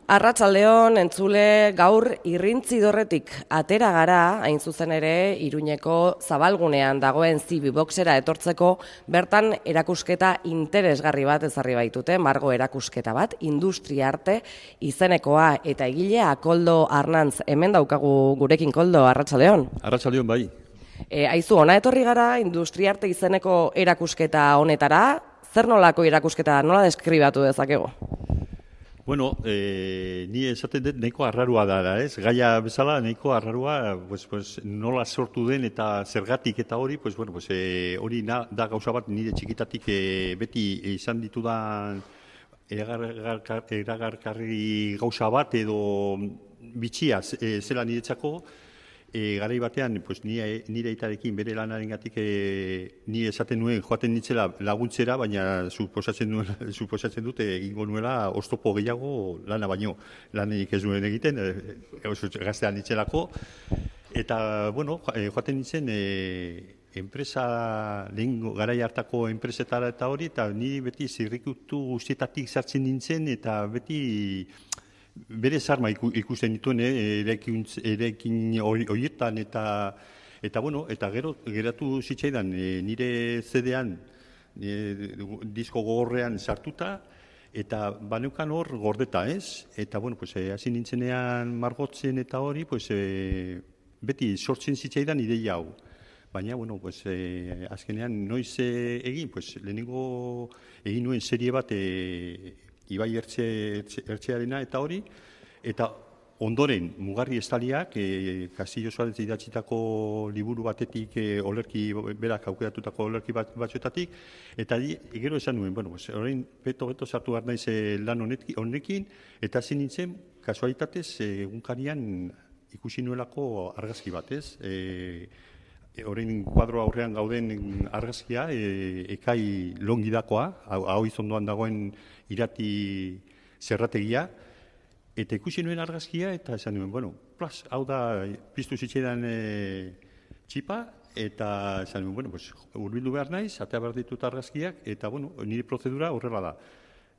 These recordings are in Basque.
Arratsaldeon, entzule, gaur Irrintzidorretik atera gara, hain zuzen ere, Iruñeko zabalgunean dagoen Zibiboxera etortzeko, bertan erakusketa interesgarri bat ezarri baitute, margo erakusketa bat, industria arte izenekoa eta egilea Koldo Arnantz, hemen daukagu gurekin. Koldo, arratsaldeon. Arratsaldeon bai. Aizu, ona etorri gara industria arte izeneko erakusketa honetara, zer nolako erakusketa, nola deskribatu dezakegu? Bueno, ni esaten dut nahiko arrarua da, ez? Gaia bezala nahiko arrarua, nola sortu den eta zergatik eta hori, hori da gauza bat nire txikitatik beti izan ditudan eragarkarri gauza bat edo bitxia zela niretzako. Garai batean, nire aitarekin bere lanarengatik ni esaten nuen joaten nitzela laguntzera, baina suposatzen dute egingo nuela oztopo gehiago lana baino. Lanik ez nuen egiten, gaztean nitzelako. Eta, joaten nintzen enpresa, lehen garai hartako enpresetara eta hori, eta niri beti zirrikutu guztietatik sartzen nintzen, eta beti bere zarma ikusten dituen erekin horietan eta gero geratu zitzaidan nire CD-an disko gogorrean sartuta eta baneukan hor gordeta, ez? Eta hasi nintzenean margotzen eta hori beti sortzen zitzaidan ideia hau. Baina, azkenean noiz egin, lehenengo egin nuen serie bat Ibai Ertzearena eta hori, eta ondoren Mugarri Estaliak, Castillo Suarez idatzitako liburu batetik, berak aukeratutako olerki batzuetatik, eta gero esan nuen, orain beto sartu behar naiz lan honekin, eta hasi nintzen, kasualitatez, egunkarian ikusi nuelako argazki bat, ez? Horrein kuadro aurrean gauden argazkia, Ekai Longidakoa, hau izondoan dagoen irati zerrategia, eta ikusi nuen argazkia, eta esan nuen, hau da, piztu zitzaidan txipa, eta esan nuen, hurbildu behar naiz, atea behar ditut argazkiak, eta nire prozedura horrela da.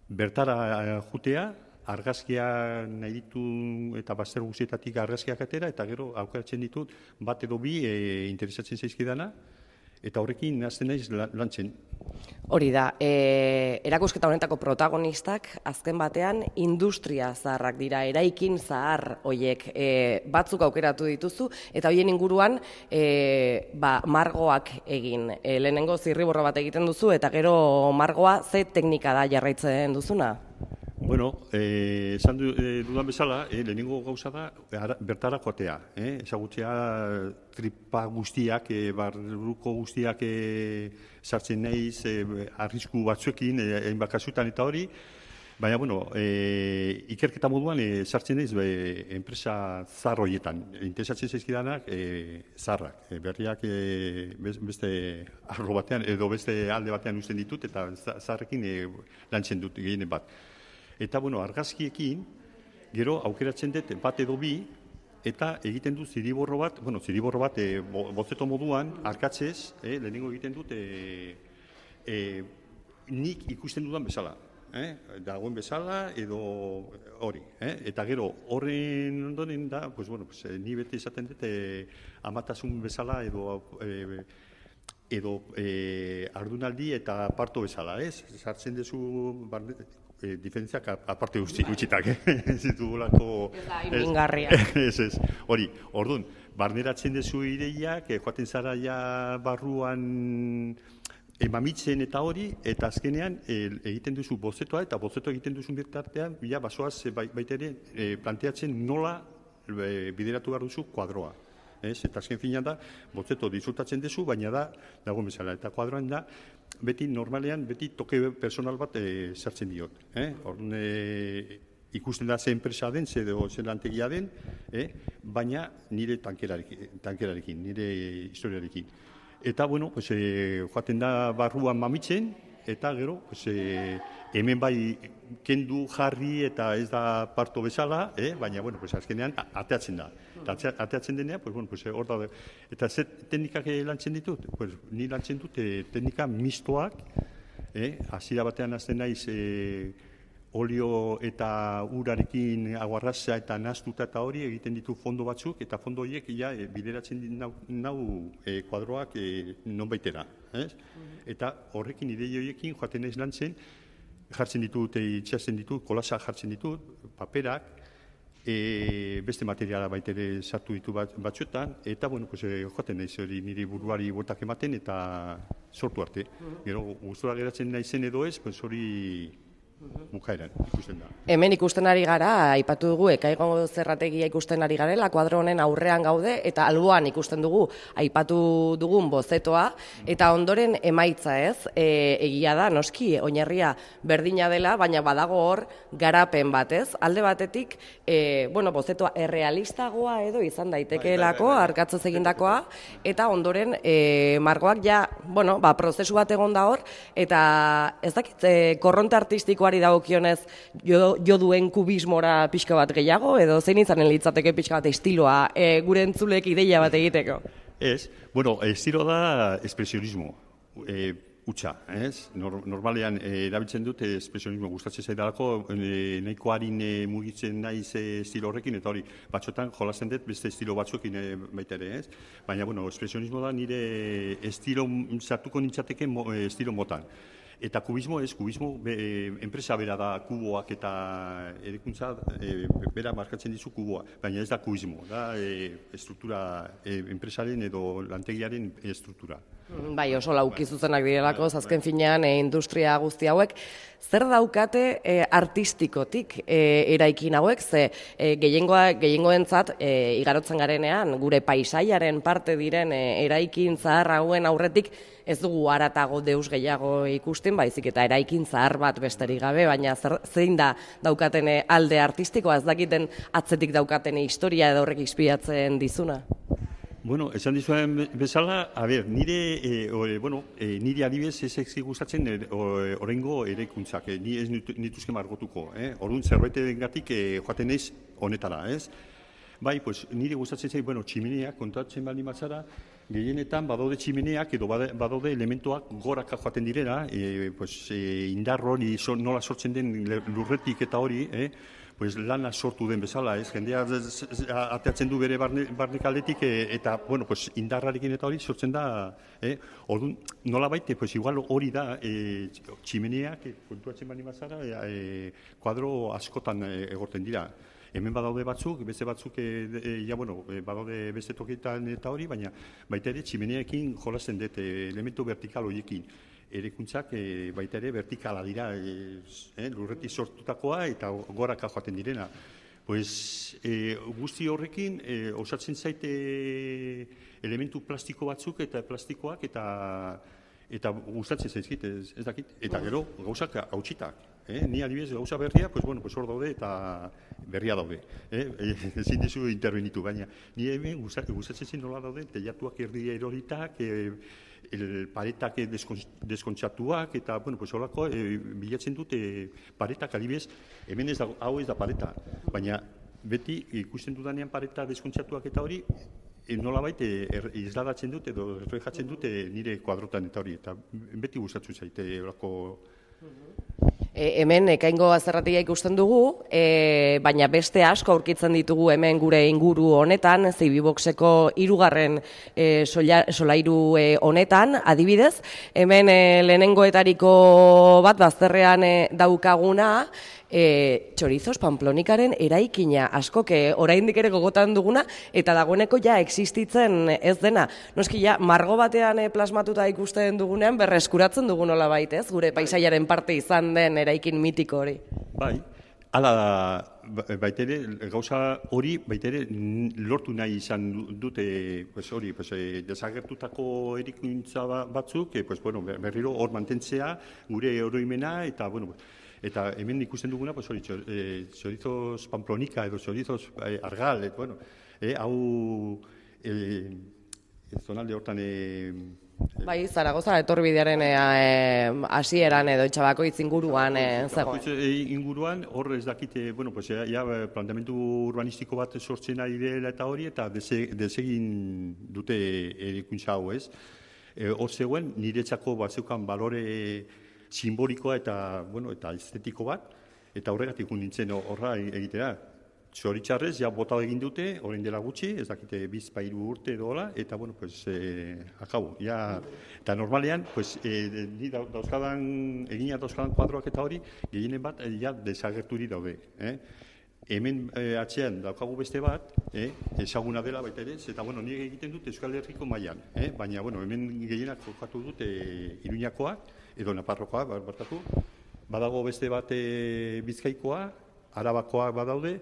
Bertara jutea, argazkia nahi ditu eta bazter guztietatik argazkiak atera, eta gero aukeratzen ditut bat edo bi interesatzen zaizkidana, eta horrekin hasten naiz lantzen. Hori da, erakusketa honetako protagonistak azken batean industria zaharrak dira, eraikin zahar hoiek batzuk aukeratu dituzu, eta hoien inguruan margoak egin. Lehenengo zirriborro bat egiten duzu, eta gero margoa ze teknika da jarraitzen duzuna? Esan dudan bezala, lehenengo gauza da bertara joatea. Ezagutzea tripa guztiak, barruko guztiak sartzen naiz, arrisku batzuekin, hainbat kasutan eta hori. Baina, ikerketa moduan sartzen naiz enpresa zahar horietan. Interesatzen zaizkidanak zaharrak. Berriak beste arlo batean edo beste alde batean uzten ditut eta zaharrekin lantzen dut gehienen bat. Eta, argazkiekin, gero aukeratzen dut bat edo bi, eta egiten dut ziriborro bat, bozeto moduan, arkatzez, lehenengo egiten dut nik ikusten dudan bezala. Dagoen bezala edo hori. Eta gero, horren ondoren da, ni beti esaten dut amatasun bezala edo ardunaldi eta parto bezala, ez? Sartzen duzu diferentziak aparte gutxitak, ez ditugulako... Ez da, imingarria. Ez, hori, orduan, barneratzen duzu ideiak, joaten zara ja barruan mamitzen eta hori, eta azkenean egiten duzu bozetoa, eta bozeto egiten duzun bitartean, basoaz baita ere planteatzen nola bideratu behar duzu kuadroa. Eta azken finean da, bozeto disfrutatzen duzu, baina da, dagoen bezala, eta kuadroan da, normalean, toke personal bat sartzen diot. Orduan, ikusten da ze enpresa den, ze lantegia den, baina nire tankerarekin, nire historiarekin. Eta, joaten da barruan mamitzen, eta gero, hemen bai kendu jarri eta ez da parto bezala, baina, azkenean ateatzen da. Eta ateatzen denean, hor da. Eta ze teknikak lantzen ditut? Ni lantzen dut teknika mistoak, hasiera batean hasten naiz olio eta urarekin aguarraza eta naztuta eta hori egiten ditu fondo batzuk, eta fondo horiek bideratzen nau kuadroak nonbaitera. Eta horrekin idei horiekin joaten naiz lantzen, jartzen ditut, itxasten ditut, kolasa jartzen ditut, paperak, beste materiala baitere sartu ditu batzuetan, eta joaten naiz hori niri buruari botak ematen eta sortu arte. Gero, gustura geratzen naizen edo ez, hori bukaeran ikusten da. Hemen ikusten ari gara, aipatu dugu, Ekaigo zerrategia ikusten ari garela, kuadro honen aurrean gaude, eta alboan ikusten dugu, aipatu dugun bozetoa, eta ondoren emaitza ez, egia da, noski, oinarria berdina dela, baina badago hor garapen bat ez, alde batetik, bozetoa errealistagoa edo izan daitekeelako, arkatzoz egindakoa, eta ondoren margoak prozesu bat egon da hor, eta ez dakit, korronte artistikoa dagokionez jo duen kubismora pixka bat gehiago, edo zein izanen litzateke pixka bat estiloa gure entzulek ideia bat egiteko? Ez, estilo da espresionismo, utxa, ez? Normalean erabiltzen dut espresionismo gustatzen zaidalako, nahiko harin mugitzen naiz estilo horrekin, eta hori, batxotan jolasten dut beste estilo batzuekin baita ere, ez? Baina, espresionismo da nire estilo, sartuko nintzateke estilo motan. Eta kubismo enpresa bera da kuboak eta erikuntza bera markatzen dizu kuboa, baina ez da kubismo, da estruktura, enpresaren edo lantegiaren estruktura. Bai, oso lauki zuzenak direlako, azken finean industria guzti hauek. Zer daukate artistikotik eraikin hauek, ze gehiengoentzat igarotzen garenean, gure paisaiaren parte diren eraikin zahar hauen aurretik, ez dugu haratago deus gehiago ikusten, baizik eta eraikin zahar bat besterik gabe, baina zein da daukaten alde artistikoa, ez dakiten atzetik daukaten historia edo horrek inspiratzen dizuna? Esan dizuen bezala, nire adibidez ez ezi gustatzen oraingo eraikuntzak, ni ez nituzke margotuko, orduan zerbaitengatik joaten naiz honetara, ez? Bai, nire gustatzen zait, tximeneak kontatzen baldin batzara, gehienetan badaude tximeneak edo badaude elementoak goraka joaten direla, indar hori nola sortzen den lurretik eta hori, lana sortu den bezala, jendea ateatzen du bere barnekaldetik eta, indarrarekin eta hori sortzen da, orduan, nola baite, igual hori da, tximeneak, kontuatzen bani bazara, kuadro askotan egorten dira. Hemen badaude batzuk, beste batzuk, badaude beste tokietan eta hori, baina baita ere tximeneekin jolasten dut elementu vertikal horiekin. Erekuntzak baita ere vertikala dira, lurretik sortutakoa eta goraka joaten direna. Guzti horrekin osatzen zaite elementu plastiko batzuk eta plastikoak eta gustatzen zaizkit, ez dakit. Eta gero gauzak hautsitak. Ni adibidez gauza berria, hor daude eta berria daude. Ezin dizu intervenitu, baina ni hemen gustatzen zen nola daude, teilatuak erdi eroritak, paretak deskontzatuak, eta, horako bilatzen dute paretak adibidez, hemen hau ez da pareta, baina beti ikusten dudanean pareta deskontzatuak eta hori, nolabait isladatzen dute edo reflejatzen dute nire kuadrotan eta hori, eta beti gustatzen zaite horako. Hemen Ekaingo zerrategia ikusten dugu, baina beste asko aurkitzen ditugu hemen gure inguru honetan, Zibiboxeko 3. solairu honetan, adibidez, hemen lehenengoetariko bat bazterrean daukaguna, Chorizos Pamplonikaren eraikina, askok oraindik ere gogotan duguna, eta dagoeneko ja existitzen ez dena. Noski ja, margo batean plasmatuta ikusten dugunean, berreskuratzen dugu nola baitez, gure paisaiaren parte izan den eraikin mitiko hori. Bai, hala baitere, gauza hori baitere lortu nahi izan dute hori, desagertutako erikuntza batzuk, berriro hor mantentzea, gure oroimena, eta hemen ikusten duguna, Chorizos Pamplonika edo Chorizos Argal, hau zonalde hortan... Bai, Zaragoza etorbidearen hasieran edo Etxabakoitz inguruan zegoen. Inguruan, hor ez dakite, planteamendu urbanistiko bat sortzen ari dela eta hori, eta desegin dute erikuntza hau, ez? Hor zegoen, niretzako bat zeukan balore simbolikoa eta estetiko bat, Eta horregatik nintzen horra egitera. Zoritxarrez, ja bota egin dute, orain dela gutxi, ez dakite bizpairu urte edola, eta, bueno, pues, akabo. Ja, eta normalean, pues, ni egina dauzkadan kuadroak eta hori, gehienen bat, ja, desagerturi daude. Hemen atzean daukagu beste bat, ezaguna dela baita ere, eta, bueno, nire egiten dut Euskal Herriko mailan, baina, bueno, hemen gehienak jokatu dut Iruñakoak, edo Naparrokoa, barkatu, badago beste bat Bizkaikoa, Arabakoak badaude,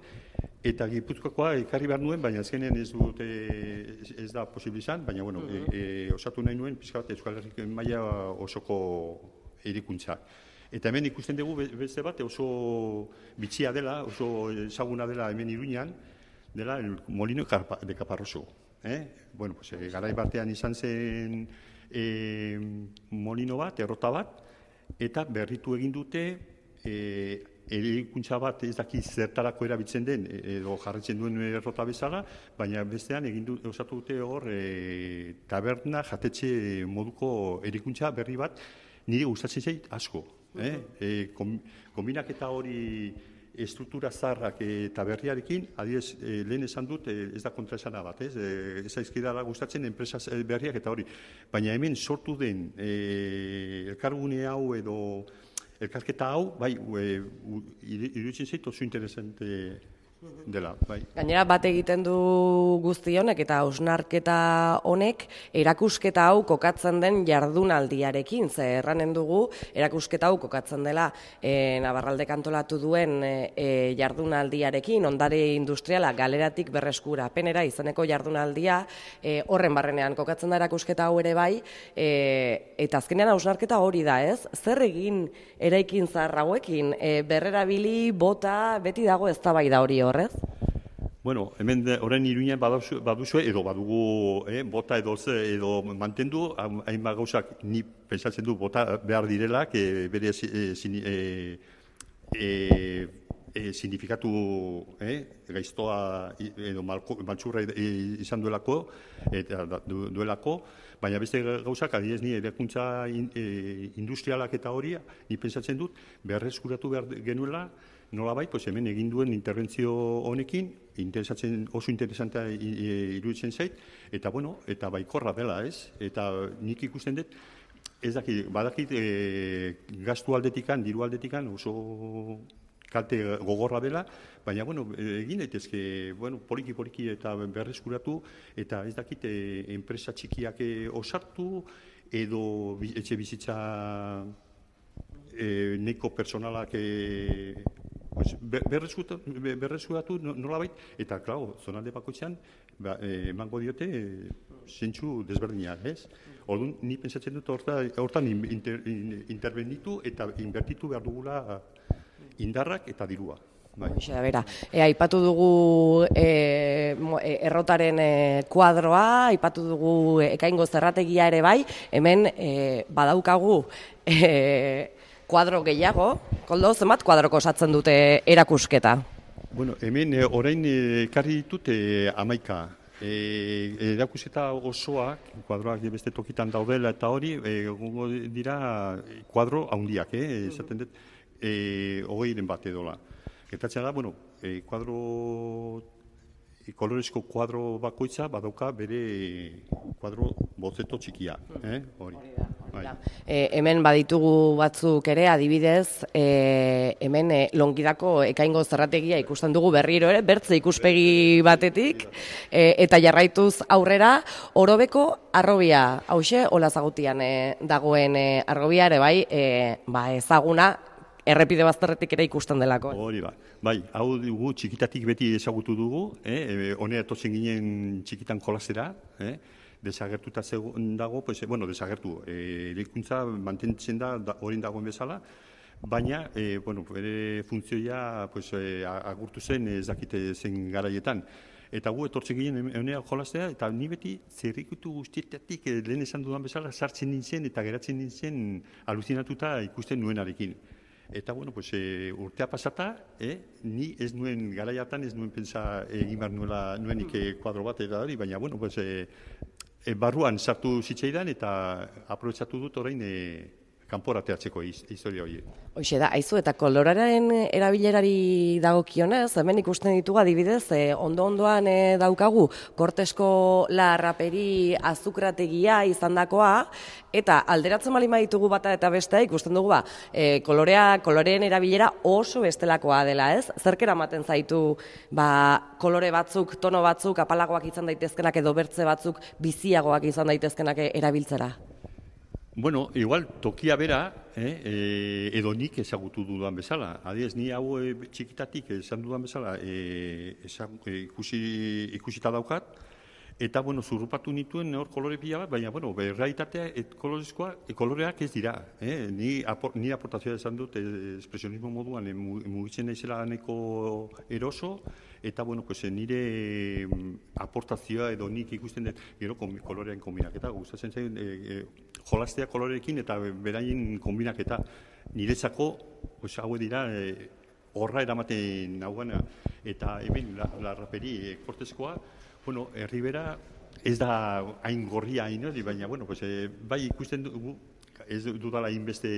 eta Gipuzkoakoa ekarri behar nuen, baina azkenean ez da posible izan, baina, bueno, osatu nahi nuen, pixka bat Euskal Herriko maila osoko erikuntza. Eta hemen ikusten dugu beste bat oso bitxia dela, oso ezaguna dela hemen Iruñan, dela el Molino de Caparroso. Bueno, pues, garai batean izan zen molino bat, errota bat, eta berritu egin dute erikuntza bat ez daki zertarako erabiltzen den, edo jarritzen duen errota bezala, baina bestean osatu dute hor taberna jatetxe moduko erikuntza berri bat, nire gustatzen zait asko. Kombinaketa hori estruktura zaharrak eta berriarekin, adibidez, lehen esan dut, ez da kontraesana bat, ez aizkidala gustatzen enpresa berriak eta hori. Baina hemen sortu den elkargune hau edo elkarketa hau, bai, iruditzen zait oso interesante dela, bai. Gainera bat egiten du guzti honek eta hausnarketa honek erakusketa hau kokatzen den jardunaldiarekin, ze erranen dugu erakusketa hau kokatzen dela Nabarraldek antolatu duen jardunaldiarekin, ondare industriala galeratik berreskurapenera izeneko jardunaldia, horren barrenean kokatzen da erakusketa hau ere bai, eta azkenean hausnarketa hori da, ez? Zer egin eraikin zahar hauekin, berrerabili, bota, beti dago eztabaida hori horrez? Bueno, hemen orain Iruñan baduzue, edo badugu bota edo mantendu, hainbat gauzak ni pentsatzen du bota behar direlak, bere signifikatu gaiztoa edo maltsurra izan duelako, baina beste gauzak, adibidez ni erakuntza industrialak eta hori, ni pentsatzen dut berreskuratu behar genuela, nolabait, hemen egin duen interbentzio honekin, oso interesantea iruditzen zait, eta bueno, eta baikorra dela, ez? Eta nik ikusten dut, ez dakit, badakit gastu aldetikan, diru aldetikan, oso kalte gogorra dela, baina, bueno, egin daitezke, bueno, poliki eta berreskuratu, eta ez dakit, enpresa txikiak osartu, edo etxe bizitza neko personalak berreskuratu nolabait, eta, klar, zonalde bakoitzean, emango diote zentsu desberdinak, ez? Orduan, ni pentsatzen dut hortan intervenitu eta inbertitu behar dugula indarrak eta dirua. Aipatu dugu errotaren kuadroa, aipatu dugu Ekaingo zerrategia ere bai, hemen badaukagu kuadro gehiago, Koldo, zenbat kuadroko osatzen dute erakusketa? Bueno, hemen orain ekarri ditut 11. Erakusketa osoak, kuadroak beste tokitan daudela eta hori, egongo dira kuadro handiak, esaten dut, 20 bat edola. Gertatzen da, bueno, kolorezko kuadro bakoitza badauka bere kuadro bozeto txikia, hori. Hemen baditugu batzuk ere, adibidez, hemen Longidako Ekaingo zerrategia ikusten dugu berriro ere, bertze ikuspegi batetik, eta jarraituz aurrera, Orobeko harrobia, hauxe, Olazagutian dagoen harrobia ere bai, ezaguna, errepide bazterretik ere ikusten delako. Hori bai, hau dugu txikitatik beti ezagutu dugu, honera etortzen ginen txikitan jolasera, desagertuta dago, desagertu, eraikuntza mantentzen da horien dagoen bezala, baina, bere funtzioa agurtu zen ez dakite zen garaietan. Eta gu etortzen ginen honera jolastea, eta ni beti zerrikutu guztietatik lehen esan dudan bezala sartzen nintzen eta geratzen nintzen aluzinatuta ikusten nuenarekin. Eta, urtea pasata, ni ez nuen garaiatan, ez nuen pentsa egin behar nuenik kuadro bat eta hori, baina, barruan sartu zitzaidan eta aprobetsatu dut orain kanporateatzeko historia hori. Hoxe da, aizu, eta koloraren erabilerari dagokionez, hemen ikusten ditugu adibidez, ondo-ondoan daukagu kortesko la raperi azukrategia izandakoa, eta alderatzen bali ditugu bata eta bestea ikusten dugu koloreen erabilera oso bestelakoa dela, ez? Zerk eramaten zaitu kolore batzuk, tono batzuk, apalagoak izan daitezkenak edo bertze batzuk biziagoak izan daitezkenak erabiltzera? Bueno, igual tokia bera, edo nik ezagutu dudan bezala. Adiez, ni hau txikitatik esan dudan bezala ikusita daukat, eta, bueno, zurrupatu nituen hor kolore pila bat, baina, bueno, errealitatea koloreak ez dira. Ni aportazioa esan dut, espresionismo moduan mugitzen naizela nahiko eroso, eta, bueno, pues, nire aportazioa edo nik ikusten dut, gero kolorean kombinaketa, gustatzen zain, jolastea koloreekin eta beraien kombinaketa. Niretzako, pues, hau dira, horra eramaten naugana, eta hemen, la raperi korteskoa, bueno, Ribera ez da hain gorria hain hori, baina, bueno, pues, bai ikusten dugu, ez dudala hainbeste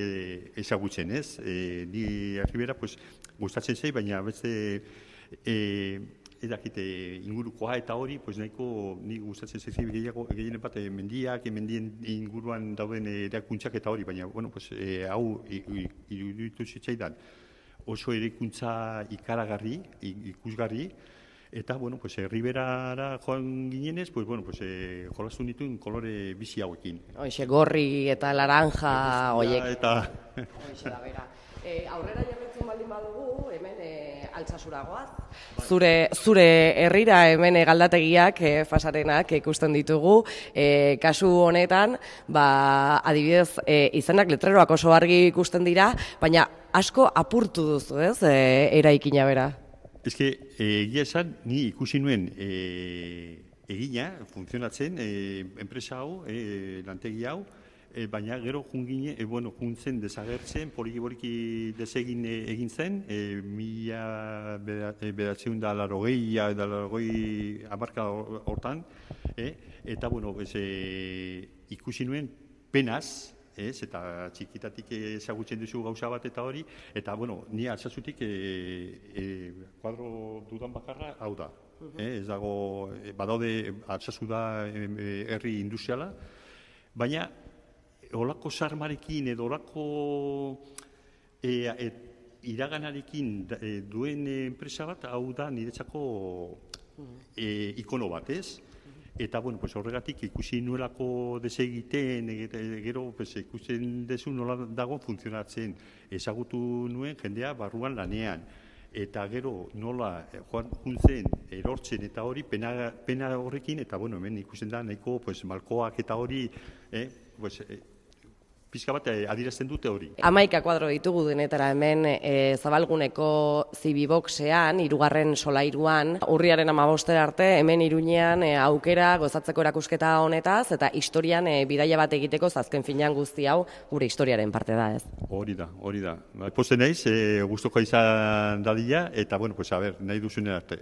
ezagutzen, ez? Ni Ribera, pues, gustatzen zei, baina beste edakite ingurukoa eta hori, pues, nahiko ni gustatzen zei gehienen bat mendien inguruan dauden erakuntzak eta hori, baina, bueno, pues, hau iruditu zitzaidan oso eraikuntza ikaragarri, ikusgarri, eta, bueno, pues, Riberara joan ginenez, pues, bueno, pues, jolastu nituen kolore bizi hauekin. Hoxe, gorri eta laranja, oiek. Eta... Hoxe da, bera. Aurrera jarretzen baldin badugu, hemen Altsasuragoaz. Zure herrira hemen galdategiak, fasarenak ikusten ditugu. Kasu honetan, adibidez, izenak letreroak oso argi ikusten dira, baina asko apurtu duzu, ez, eraikina bera? Ez que, egia esan, ni ikusi nuen egina, funtzionatzen, enpresa hau, lantegi hau, baina gero juntzen desagertzen, poliki desegin egin zen, 1980 amarka hortan, eta, bueno, ikusi nuen penaz, eta txikitatik ezagutzen duzu gauza bat eta hori, eta, bueno, ni Altsasutik kuadro dudan bakarra hau da. Ez dago, badaude Altsasu da herri industriala, baina olako sarmarekin edo olako iraganarekin duen enpresa bat, hau da niretzako ikono bat, ez? Eta, bueno, pues, horregatik ikusi nuelako desegiten, gero ikusten dezu nola dago funtzionatzen. Ezagutu nuen jendea barruan lanean. Eta gero nola juntzen erortzen eta hori pena horrekin, eta, bueno, hemen ikusten da nahiko malkoak eta hori, pixka bat adierazten dute hori. 11 kuadro ditugu denetara hemen Zabalguneko Zibiboxean, 3. solairuan, urriaren 15 arte, hemen Iruñean aukera gozatzeko erakusketa honetaz, eta historian bidaia bat egiteko, azken finean guzti hau gure historiaren parte da, ez? Hori da. Posten naiz, gustuko izan dadila, eta, bueno, pues, a ber, nahi duzunen arte.